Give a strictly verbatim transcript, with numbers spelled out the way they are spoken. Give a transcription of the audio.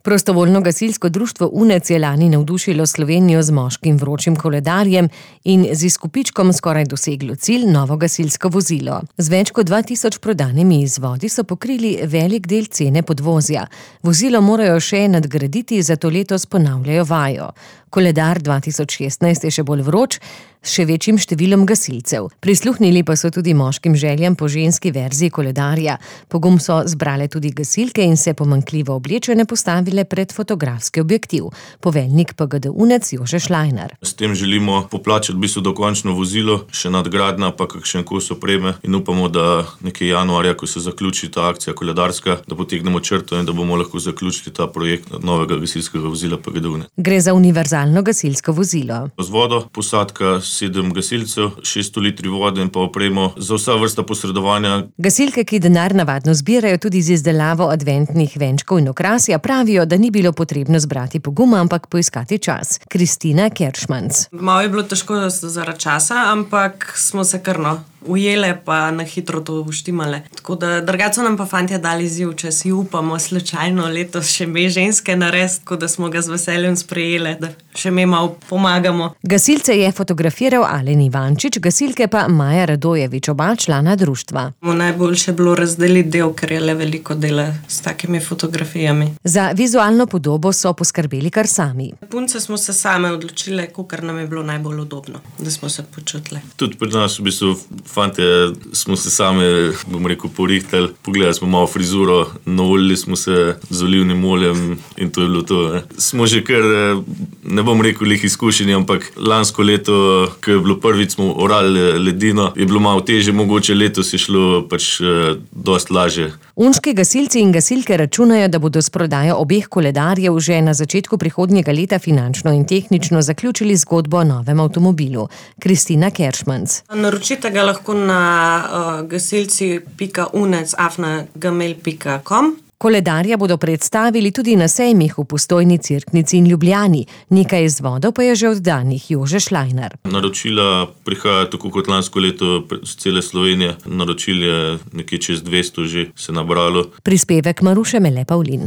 Prostovoljno gasilsko društvo UNEC je lani navdušilo Slovenijo z moškim vročim koledarjem in z izkupičkom skoraj doseglo cilj, novo gasilsko vozilo. Z več kot dva tisoč prodanimi izvodi so pokrili velik del cene podvozja. Vozilo morajo še nadgraditi, zato letos ponavljajo vajo. Koledar dva tisoč šestnajst je še bolj vroč, s še večjim številom gasilcev. Prisluhnili pa so tudi moškim željam po ženski verziji koledarja. Pogum so zbrale tudi gasilke in se pomanjkljivo oblečene postavile pred fotografski objektiv. Poveljnik P G D UNEC Jože Šlajnar. S tem želimo poplačati v bistvu dokončno vozilo, še nadgradnja pa kakšen kos opreme in upamo, da nekje januarja, ko se zaključi ta akcija koledarska, da potegnemo črto in da bomo lahko zaključili ta projekt novega gasilskega vozila P G D UNEC. Gre za univerzalno gasilsko vozilo. Z vodo, posadka sedem gasilcev, šeststo litri vode in pa opremo za vsa vrsta posredovanja. Gasilke, ki denar navadno zbirajo tudi z izdelavo adventnih venčkov in okrasja, pravijo, da ni bilo potrebno zbrati poguma, ampak poiskati čas. Kristina Keršmanc. Malo je bilo težko zaradi časa, ampak smo se krno ujele pa na hitro to uštimale. Tako da drugače so nam pa fantje dali izziv, če si upamo slučajno letos še me ženske narediti, tako da smo ga z veseljem sprejele, da še me malo pomagamo. Gasilce je fotografiral Alen Ivančič, gasilke pa Maja Radojevič, oba člana društva. Najboljše je bilo razdeliti del, ker je le veliko dela s takimi fotografijami. Za vizualno podobo so poskrbeli kar sami. Punce smo se same odločile, kakor nam je bilo najbolj udobno, da smo se počutile. Tudi pri nas v bistvu fantje smo se sami, bom rekel, porihtali, pogledali smo malo frizuro, naolili smo se z olivnim oljem in to je bilo to. Ne. Smo že kar, ne bom rekel, lih izkušeni, ampak lansko leto, ko je bilo prvič, smo orali ledino, je bilo malo težje, mogoče letos je šlo pač dosti lažje. Unški gasilci in gasilke računajo, da bodo s prodajo obeh koledarjev že na začetku prihodnjega leta finančno in tehnično zaključili zgodbo o novem avtomobilu. Kristina Keršmanc. Naročite ga lahko na uh, gasilci pika unec afna gmail pika com. Koledarja bodo predstavili tudi na sejmih v Postojni, Cerknici in Ljubljani. Nekaj izvodov pa je že oddanih. Jože Šlajnar. Naročila prihaja tako kot lansko leto z cele Slovenije. Naročil je nekje čez dvesto že se nabralo. Prispevek Maruše Mele Pavlin.